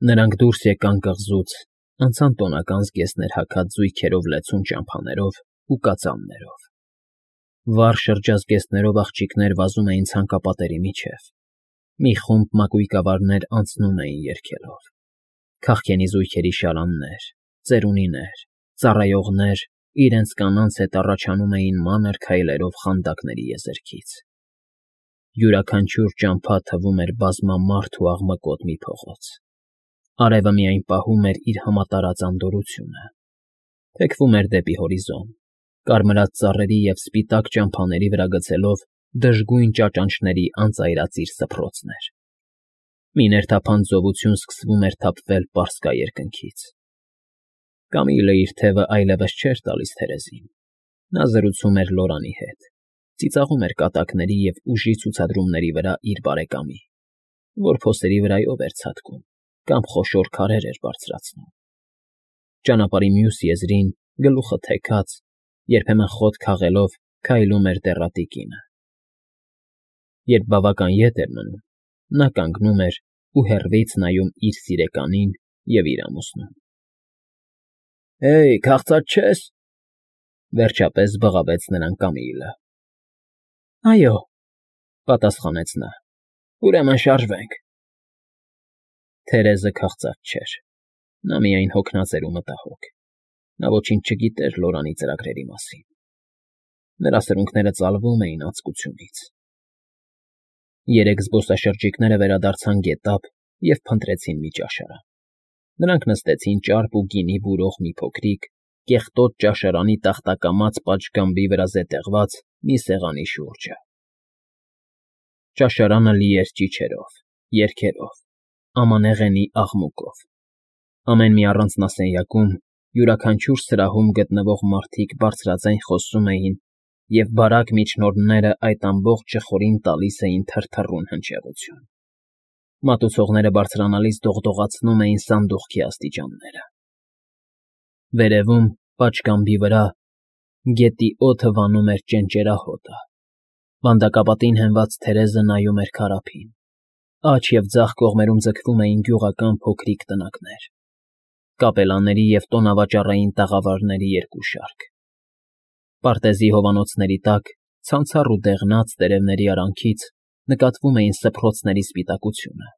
Նրանք դուրս եկան կղզուց, անցան տոնական զգեստներ հագած զույգերով լեցուն ճամփաներով ու կածաններով. վառ շրջազգեստներով աղջիկներ վազում էին ցանկապատերի միջև, մի խումբ մակույկավարներ անցնում էին երգելով, քաղքենի զույգերի շարաններ, ծերունիներ, ծառայողներ իրենց կանանց հետ առաջանում էին մանր քայլերով խանդակների եզերքից. յուրաքանչյուր ճամփա թվում էր բազմամարդ ու աղմկոտ մի փողոց, արևը միայն պահում էր իր համատարած անդորրությունը, թեքվում էր դեպի հորիզոն, կարմրած ծառերի և սպիտակ ճամփաների վրա գցելով դժգույն ճաճանճների անծայրածիր սփռոցներ. մի ներթափանց զովություն սկսվում էր թափվել պարսկա երկնքից. Կամիլը իր թևը այլևս չէր տալիս Թերեզին, նա զրուցում էր Լորանի հետ, ծիծաղում էր կատակների և ուժի ցուցադրումների վրա իր բարեկամի, որ փոսերի վրայով էր ցատկում կամ խոշոր քարեր էր բարձրացնում. ճանապարհի մյուս եզրին, գլուխը թեքած, երբեմն խոտ քաղելով քայլում էր դեռատի կինը. երբ բավական ետ էր մնում, նա կանգնում էր ու հեռվից նայում իր սիրեկանին և իր ամուսնուն։ «Հեյ, քաղցած չե՞ս,» վերջապես բղավեց նրան Կամիլը։ «Այո,֊ պատասխանեց նա,֊ ուրեմն շարժվենք»։ Թերեզը քաղցած չէր, նա միայն հոգնած էր ու մտահոգ, նա ոչինչ չգիտեր Լորանի ծրագրերի մասին, նրա սրունքները ծալվում էին անձկությունից։ Երեք զբոսաշրջիկները վերադարձան գետափ և փնտրեցին մի ճաշարան. նրանք նստեցին ճարպ ու գինի բուրող մի փոքրիկ, կեղտոտ ճաշարանի տախտակամած պատշգամբի վրա զետեղված մի սեղանի շուրջը։ Ճաշարանը լի էր ճիչերով, երգերով, ամանեղենի աղմուկով, ամեն մի առանձնասենյակում, յուրաքանչյուր սրահում գտնվող մարդիկ բարձրաձայն խոսում էին, և բարակ միջնորդները այդ ամբողջ ժխորին տալիս էին թրթռուն հնչեղություն։ Մատուցողները բարձրանալիս դողդողացնում էին սանդուղքի աստիճանները։ Վերևում, պատշգամբի վրա, գետի օդը վանում էր ճենճերահոտը, վանդակապատին հենված Թերեզը նայում էր քարափին, աջ և ձախ կողմերում ձգվում էին գյուղական փոքրիկ տնակներ, կապելաների և տոնավաճառային տաղավարների երկու շարք։ Պարտեզի հովանոցների տակ, ցանցառ ու դեղնած տերևների արանքից նկատվում էին սփռոցների սպիտակությունը,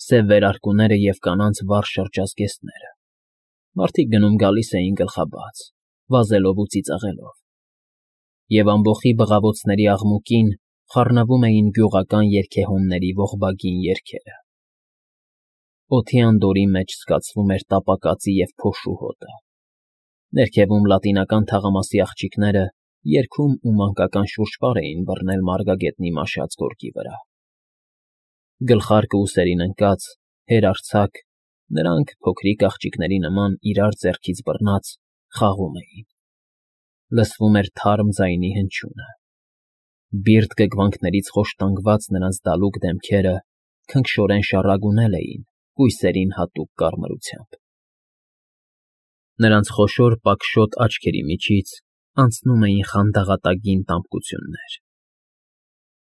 սև վերարկուները և կանանց վառ շրջազգեստները, մարդիկ գնում֊գալիս էին գլխաբաց, վազելով ու ծիծաղելով, և ամբոխի բղավոցների աղմուկին խառնվում էին գյուղական երգեհոնների ողբագին երգերը։ Օդի անդորրի մեջ զգացվում էր տապակածի և փոշու հոտը, ներքևում լատինական թաղամասի աղջիկները երգում ու մանկական շուրջպար էին բռնել մարգագետնի մաշած գորգի վրա։ Գլխարկը ուսերին ընկած, հերարձակ, նրանք, փոքրիկ աղջիկների նման իրար ձեռքից բռնած, խաղում էին։ Լսվում էր թարմ ձայնի հնչյունը։ Բիրտ գգվանքներից խոշտանգված նրանց դալուկ դեմքերը քնքշորեն շառագունել էին կույսերին հատուկ կարմրությամբ։ Նրանց խոշոր պակշոտ աչքերի միջից անցնում էին խանդաղատագին տամբկություններ։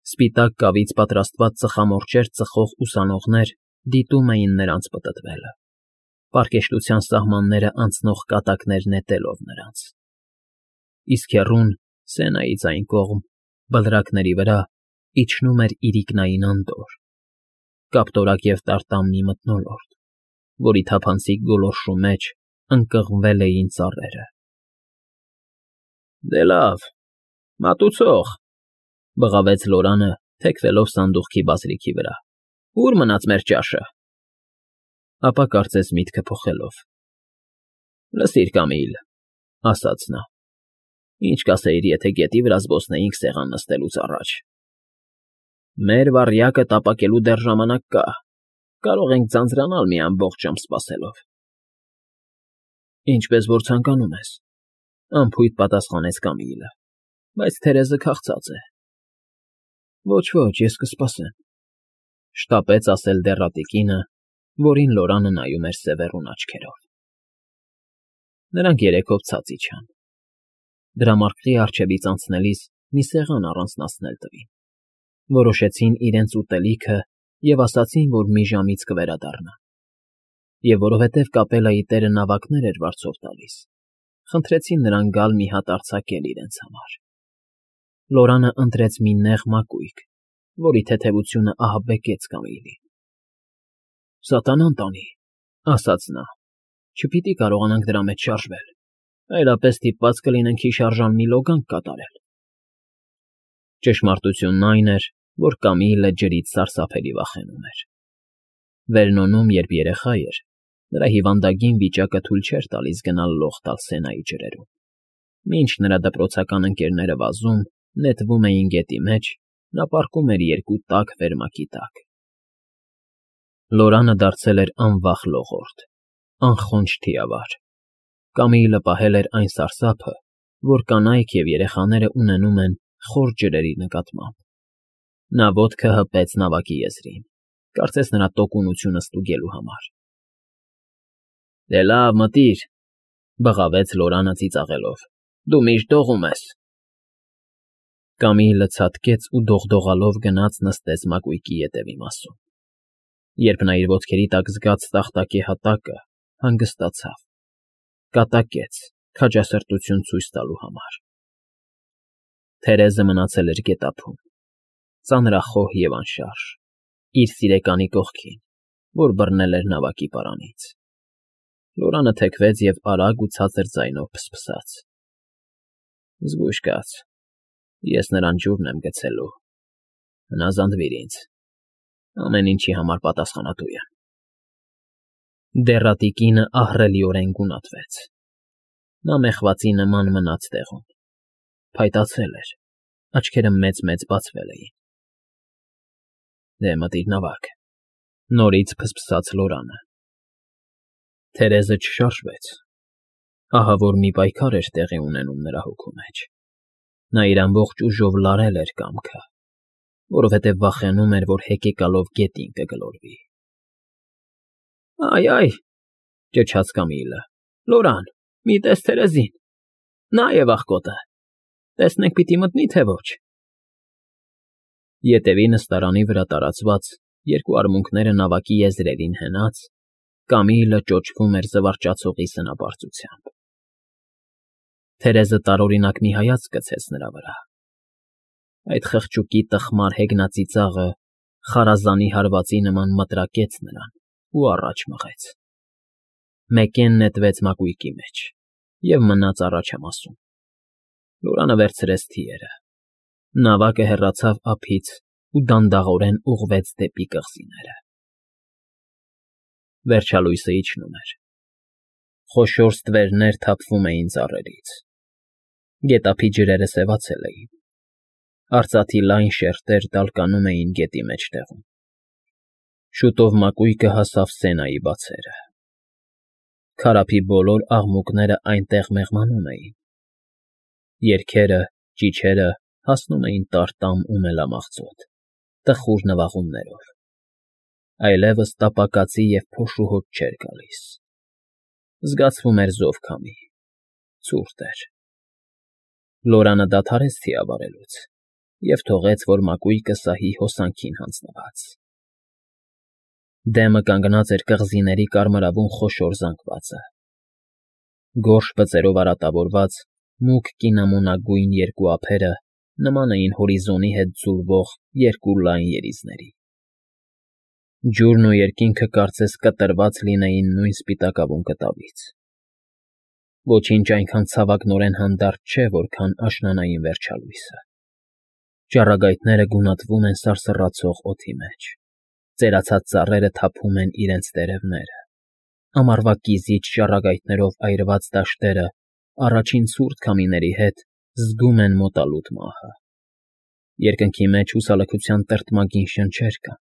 Սպիտակ կավից պատրաստված ծխամորճեր ծխող ուսանողներ դիտում էին նրանց պտտվելը, պարկեշտության սահմանները անցնող կատակներ նետելով նրանց։ Իսկ հեռուն, Սենայից այն կողմ, բլրակների վրա, իջնում էր իրիկնային անդորր, կապտորակ և տարտամ մի մթնոլորտ, որի թափանցիկ գոլորշու մեջ ընկղմվել էին ծառերը։ «Դե լավ, մատուցող,֊ բղավեց Լորանը, թեքվելով սանդուղքի բազրիքի վրա,֊ ո՞ւր մնաց մեր ճաշը»։ Ապա կարծես միտքը փոխելով. «Լսիր, Կամիլ,֊ ասաց նա,֊ ինչ կասեիր, եթե գետի վրա զբոսնեինք սեղան նստելուց առաջ։ Մեր վառյակը տապակելու դեռ ժամանակ կա, կարող ենք ձանձրանալ մի ամբողջ ժամ սպասելով»։ «Ինչպես որ ցանկանում ես,֊ անփույթ պատասխանեց Կամիլը,֊ բայց Թերեզը քաղցած է»։ «Ոչ, ես կսպասեմ,֊ շտապեց ասել դեռատի կինը, որին Լորանը նայում էր սևեռուն աչքերով։ Նրանք երեքով ցած իջան։ Դրամարկղի առջևից անցնելիս մի սեղան առանձնացնել տվին, որոշեցին իրենց ուտելիքը և ասացին, որ մի ժամից կվերադառնան։ Եվ որովհետև կապելայի տերը նավակներ էր վարձով տալիս, խնդրեցին նրան գալ մի հատ արձակել իրենց համար։ Լորանը ընտրեց մի նեղ մակույկ, որի թեթևությունը ահաբեկեց Կամիլին։ «Սատանան տանի,֊ ասաց նա,֊ չպիտի կարողանանք դրա մեջ շարժվել, այլապես ստիպված կլինենք հիշարժան մի լոգանք կատարել»։ Ճշմարտությունն այն էր, որ Կամիլը ջրից սարսափելի վախենում էր։ Վերնոնում, երբ երեխա էր, նրա հիվանդագին վիճակը թույլ չէր տալիս գնալ լող տալ Սենայի ջրերում։ Մինչ նրա դպրոցական ընկերները վազում, նետվում էին գետի մեջ, նա պառկում էր երկու տաք վերմակի տակ։ Լորանը դարձել էր անվախ լողորդ, անխոնջ թիավար։ Կամիլը պահել էր այն սարսափը, որ կանայք և երեխաները ունենում են խոր ջրերի նկատմամբ։ Նա ոտքը հպեց նավակի եզրին, կարծես նրա տոկունությունը ստուգելու համար։ «Դե լավ, մտիր,֊ բղավեց Լորանը ծիծաղելով,֊ դու միշտ դողում ես»։ Կամիլը ցատկեց ու դողդողալով գնաց նստեց մակույկի ետևի մասում։ Երբ նա իր ոտքերի տակ զգաց տախտակե հատակը, հանգստացավ, կատակեց, քաջասրտություն ցույց տալու համար։ Թերեզը մնացել էր գետափում, ծանրախոհ և անշարժ, իր սիրեկանի կողքին, որ բռնել էր նավակի պարանից։ Լորանը թեքվեց և արագ ու ցածր ձայնով փսփսաց. «Զգույշ կաց, ես նրան ջուրն եմ գցելու, հնազանդվիր ինձ, ամեն ինչի համար պատասխանատու եմ»։ Դեռատի կինը ահռելիորեն գունատվեց։ Նա մեղվածի նման մնաց տեղում, փայտացել էր, աչքերը մեծ֊մեծ բացվել էին։ «Դե մտիր նավակ,֊ նորից փսփսաց Լորանը։ Թերեզը չշարժվեց։ Ահա որ մի պայքար էր տեղի ունենում նրա հոգու մեջ։ Նա իր ամբողջ ուժով լարել էր կամքը, որովհետև վախենում էր, որ հեկեկալով գետին կգլորվի։ «Այ,֊ ճչաց Կամիլը,֊ Լորան, մի տես Թերեզին, նա է աղքոտը, տեսնենք պիտի մտնի, թե ոչ»։ Ետևի նստարանի վրա տարածված, երկու արմունկները նավակի եզրերին հենած, Կամիլը ճոճվում էր զվարճացողի սնապարծությամբ։ Թերեզը տարօրինակ մի հայացք գցեց նրա վրա։ Այդ խղճուկի տխմար հեգնածիծաղը խարազանի հարվածի նման մտրակեց նրան ու առաջ մղեց։ Մեկեն նետվեց մակույկի մեջ և մնաց առաջամասում։ Լորանը վերցրեց թիերը։ Նավակը հեռացավ ափից ու դանդաղորեն ուղղվեց դեպի կղզիները։ Վերջալույսը իջնում էր։ Խոշոր ստվերներ թափվում էին ծառերից։ Գետափի ջրերը սևացել էին։ Արծաթի լայն շերտեր տալկանում էին գետի մեջտեղում։ Շուտով մակույկը հասավ Սենայի բացերը։ Քարափի բոլոր աղմուկները այնտեղ մեղմանում էին։ Երգերը, ճիչերը հասնում էին տարտամ ու մելամաղձոտ, տխուր նվաղումներով։ Այլևս տապակածի և փոշու հոտ չէր գալիս։ Զգացվում էր զով քամի, ցուրտ էր։ Լորանը դադարեց թիավարելուց և թողեց, որ մակույկը սահի հոսանքին հանձնված։ Դեմը կանգնած էր կղզիների կարմրավուն խոշոր զանգվածը։ Գորշ բծերով արատավորված, մուգ կինամոնագույն երկու ափերը նման էին հորիզոնի հետ ձուլվող երկու լայն երիզների։ Ջուրն ու երկինքը կարծես կտրված լինեին նույն սպիտակավուն կտավից։ Ոչինչ այնքան ցավակնորեն հանդարտ չէ, որքան աշնանային վերջալույսը։ Ճառագայթները գունատվում են սարսռացող օդի մեջ։ Ծերացած ծառերը թափում են իրենց տերևները։ Ամառվա կիզիչ ճառագայթներով այրված դաշտերը առաջին ցուրտ քամիների հետ զգում են մոտալուտ մահը։ Երկնքի մեջ հուսալքության տրտմագին շնչեր կան։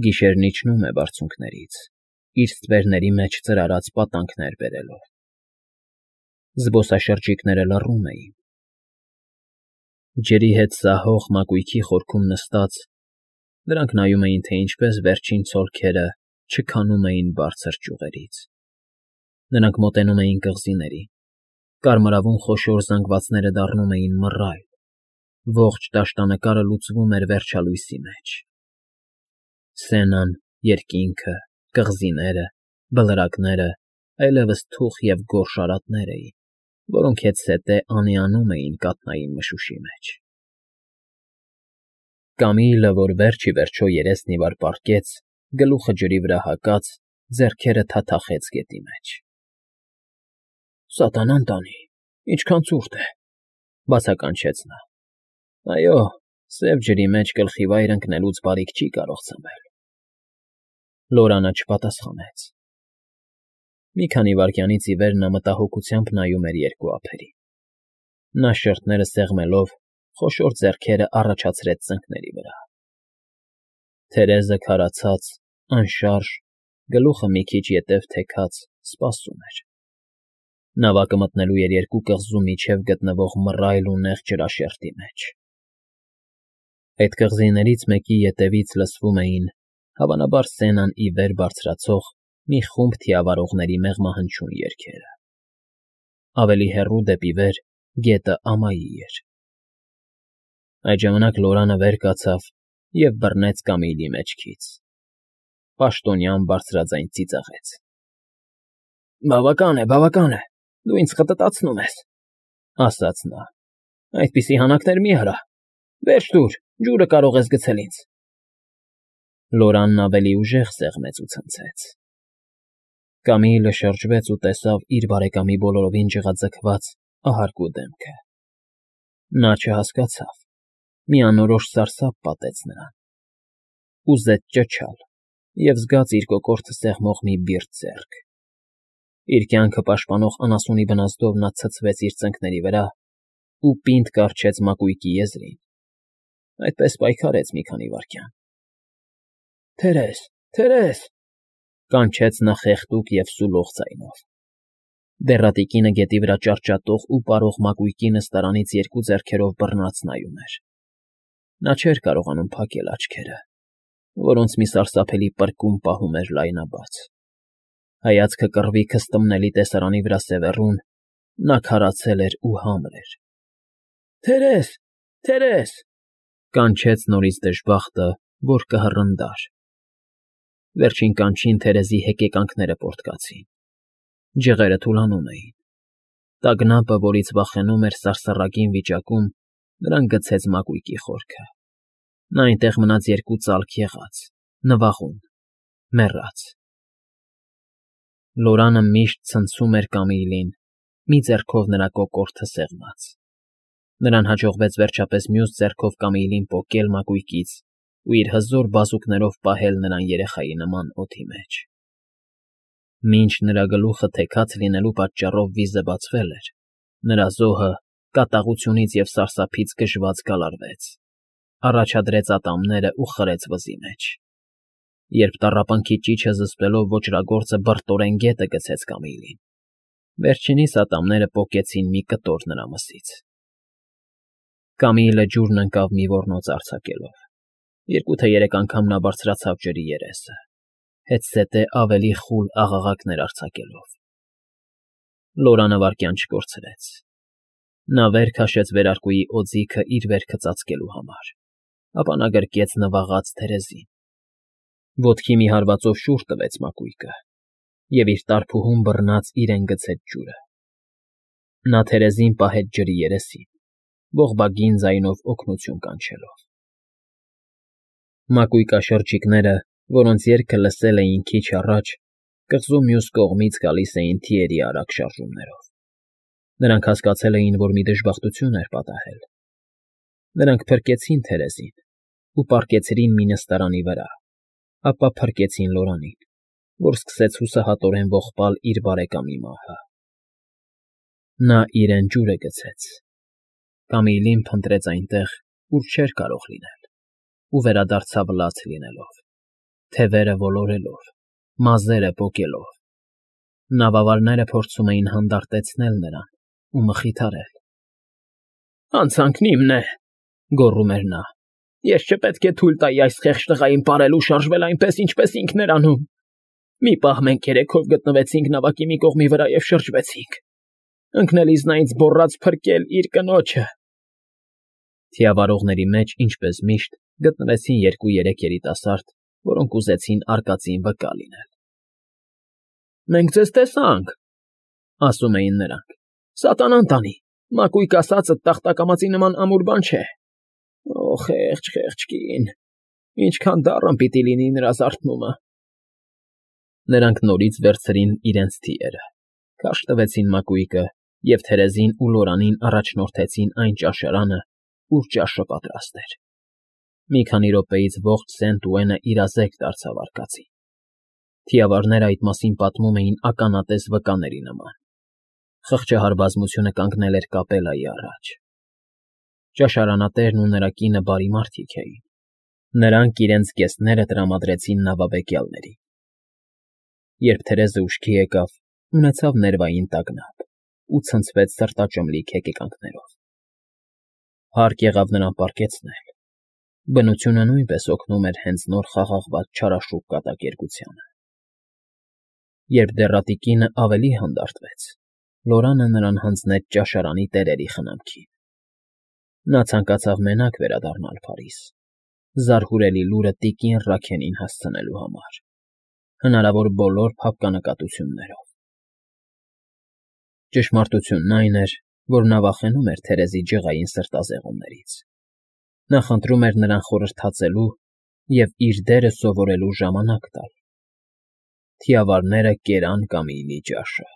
Գիշերն իջնում է բարձունքներից, իր ստվերների մեջ ծրարած պատանքներ բերելով։ Զբոսաշրջիկները լռում էին։ Ջրի հետ սահող մակույկի խորքում նստած՝ նրանք նայում էին, թե ինչպես վերջին ցոլքերը չքանում էին բարձր ճյուղերից։ Նրանք մոտենում էին կղզիներին, կարմրավուն խոշոր զանգվածները դառնում էին մռայլ, ողջ դաշտանկարը լուծվում էր վերջալույսի մեջ։ Սենան, երկինքը, կղզիները, Բլրակները այլևս թուխ և գորշ արատներ էին, որոնք հետզհետե անիանում էին կաթնային մշուշի մեջ։ Կամիլը, որ վերջ ի վերջո երեսն ի վար պառկեց, գլուխը ջրի վրա հակած, ձեռքերը թաթախեց գետի մեջ։ «Սատանան տանի, ինչքան ցուրտ է,֊ բացականչեց նա։ Այո, սև ջրի մեջ գլխի վայր ընկնելուց բարիք չի կարող ցավել։ Լորանը չպատասխանեց։ Մի քանի վայրկյանից ի վեր նա մտահոգությամբ նայում էր երկու ափերին։ Նա շրթները սեղմելով, խոշոր ձեռքերը առաջացրեց ծնկների վրա։ Թերեզը քարացած, անշարժ, գլուխը մի քիչ ետև թեքած, սպասում էր։ Նավակը մտնելու էր երկու կղզու միջև գտնվող մռայլ ու նեղ ջրաշերտի մեջ։ Այդ կղզիներից մեկի ետևից լսվում էին, հավանաբար Սենան ի վեր բարձրացող մի խումբ թիավարողների մեղմահնչյուն երգերը։ Ավելի հեռու դեպի վեր գետը ամայի էր։ Այդ ժամանակ Լորանը վեր կացավ և բռնեց Կամիլի մեջքից։ Պաշտոնյան բարձրաձայն ծիծաղեց. Բավական է, դու ինձ խտտացնում ես,֊ ասաց նա։ Այդպիսի հանակներ մի արա։ Վերջ տուր, ջուրը կարող ես գցել ինձ։ Լորանն ավելի ուժեղ սեղմեց ու ցնցեց։ Կամիլը շրջվեց ու տեսավ իր բարեկամի բոլորովին ջղաձգված, ահարկու դեմքը։ Նա չհասկացավ, մի անորոշ սարսափ պատեց նրան։ Ուզեց ճչալ և զգաց իր կոկորդը սեղմող մի բիրտ ձեռք։ Իր կյանքը պաշտպանող անասունի բնազդով նա ցցվեց իր ծնկների վրա ու պինդ կառչեց մակույկի եզրին։ Այդպես պայքարեց մի քանի վայրկյան։ Թերես,֊ կանչեց նա խեղդուկ և սուլող ձայնով։ Դեռատի կինը գետի վրա ճարճատող ու պարող մակույկի նստարանից երկու ձեռքերով բռնած նայում էր։ Նա չէր կարողանում փակել աչքերը, որոնց մի սարսափելի պրկում պահում էր լայնաբաց։ Հայացքը կռվի քստմնելի տեսարանի վրա սևեռուն, նա քարացել էր ու համր էր։ Թերես,֊ կանչեց նորից դժբախտը, որ կհռնդար։ Վերջին կանչին Թերեզի հեկեկանքները պոռթկացին։ Ջղերը թուլանում էին։ Տագնապը, որից վախենում էր սարսռագին վիճակում, նրան գցեց մակույկի խորքը։ Նա այնտեղ մնաց երկու ծալք եղած, նվաղում, մեռած։ Լորանը միշտ ցնցում էր Կամիլին, մի ձեռքով նրա կոկորդը սեղմած։ Նրան հաջողվեց վերջապես մյուս ձեռքով Կամիլին պոկել մակույկից ու իր հզոր բազուկներով պահել նրան երեխայի նման օդի մեջ։ Մինչ նրա գլուխը թեքած լինելու պատճառով վիզը բացվել էր, նրա զոհը կատաղությունից և սարսափից գժված գալարվեց, առաջադրեց ատամները ու խրեց վզի մեջ։ Երբ տառապանքի ճիչը զսպելով ոճրագործը բրտորեն գետը գցեց Կամիլին, վերջինիս ատամները պոկեցին մի կտոր նրա մսից։ Կամիլը ջուրն ընկավ մի ոռնոց արձակելով։ Երկու թե երեք անգամ նա բարձրացավ ջրի երեսը, հետզհետե ավելի խուլ աղաղակներ արձակելով։ Լորանը վայրկյան չկորցրեց։ Նա վեր քաշեց վերարկուի օձիքը իր վերքը ծածկելու համար, ապա նա գրկեց նվաղած Թերեզին։ Ոտքի մի հարվածով շուռ տվեց մակույկը և իր տարփուհուն բռնած իրեն գցեց ջուրը։ Նա Թերեզին պահեց ջրի երեսին, ողբագին ձայնով օգնություն կանչելով։ Մակույկաշրջիկները, որոնց երգը լսել էին քիչ առաջ, կղզու մյուս կողմից գալիս էին թիերի արագ շարժումներով։ Նրանք հասկացել էին, որ մի դժբախտություն էր պատահել։ Նրանք փրկեցին Թերեզին ու պառկեցրին մի նստարանի վրա, ապա փրկեցին Լորանին, որ սկսեց հուսահատորեն ողբալ իր բարեկամի մահը։ Նա իրեն ջուրը գցեց։ Կամիլին փնտրեց այնտեղ, ուր չէր կարող լինել, ու վերադարձավ լաց լինելով, թևերը ոլորելով, մազերը պոկելով։ Նավավարները փորձում էին հանդարտեցնել նրան ու մխիթարել։ «Հանցանքն իմն է,֊ գոռում էր նա։ Ես չպետք է թույլ տայի այս խեղճ տղային պարել ու շարժվել այնպես, ինչպես ինքն էր անում։ Մի պահ մենք երեքով գտնվեցինք նավակի մի կողմի վրա և շրջվեցինք։ Ընկնելիս նա ինձ գոռաց փրկել իր կնոջը»։ Թիավարողների մեջ, ինչպես միշտ, գտնվեցին երկու-երեք երիտասարդ, որոնք ուզեցին արկածին վկա լինել։ Մենք ձեզ տեսանք, ասում էին նրանք։ Սատանան տանի, մակույկը ասածդ տախտակամածի նման ամուր բան չէ։ Օ, խեղճ կին, ինչքան դառն պիտի լինի նրա զարթնումը։ Նրանք նորից վերցրին իրենց թիերը, քարշ տվեցին մակույկը և թերեզին ու լորանին առաջնորդեցին այն ճաշարանը, ուր ճաշը պատրաստ էր։ Մի քանի րոպեից ողջ Սենտ իրազեկ դարձավ արկածին։ Թիավարները այդ մասին պատմում էին ականատես վկաների նման։ Խղճահար բազմությունը կանգնել էր կապելայի առաջ։ Ճաշարանատերն ու նրա կինը բարի մարդիկ էին։ Նրանք իրենց զգեստները տրամադրեցին նավաբեկյալներին։ Երբ Թերեզը ուշքի եկավ, ունեցավ ներվային տագնապ ու ցնցվեց սրտաճմլիկ հեկեկանքներով։ Հարկ եղավ նրան պառկեցնել։ Բնությունը նույնպես օգնում էր հենց նոր խաղաղված չարաշուք կատակերգությանը։ Երբ դեռատի կինը ավելի հանդարտվեց, Լորանը նրան հանձնեց ճաշարանի տերերի խնամքին։ Նա ցանկացավ մենակ վերադառնալ Փարիզ, զարհուրելի լուրը տիկին Ռաքենին հասցնելու համար, հնարավոր բոլոր փափկանակատություններով։ Ճշմարտությունն այն էր, որ նա վախենում էր Թերեզի ջղային սրտազեղումներից։ Նա խնդրում էր նրան խորհրդածելու և իր դերը սովորելու ժամանակ տալ։ Թիավարները կերան Կամիլի ճաշը։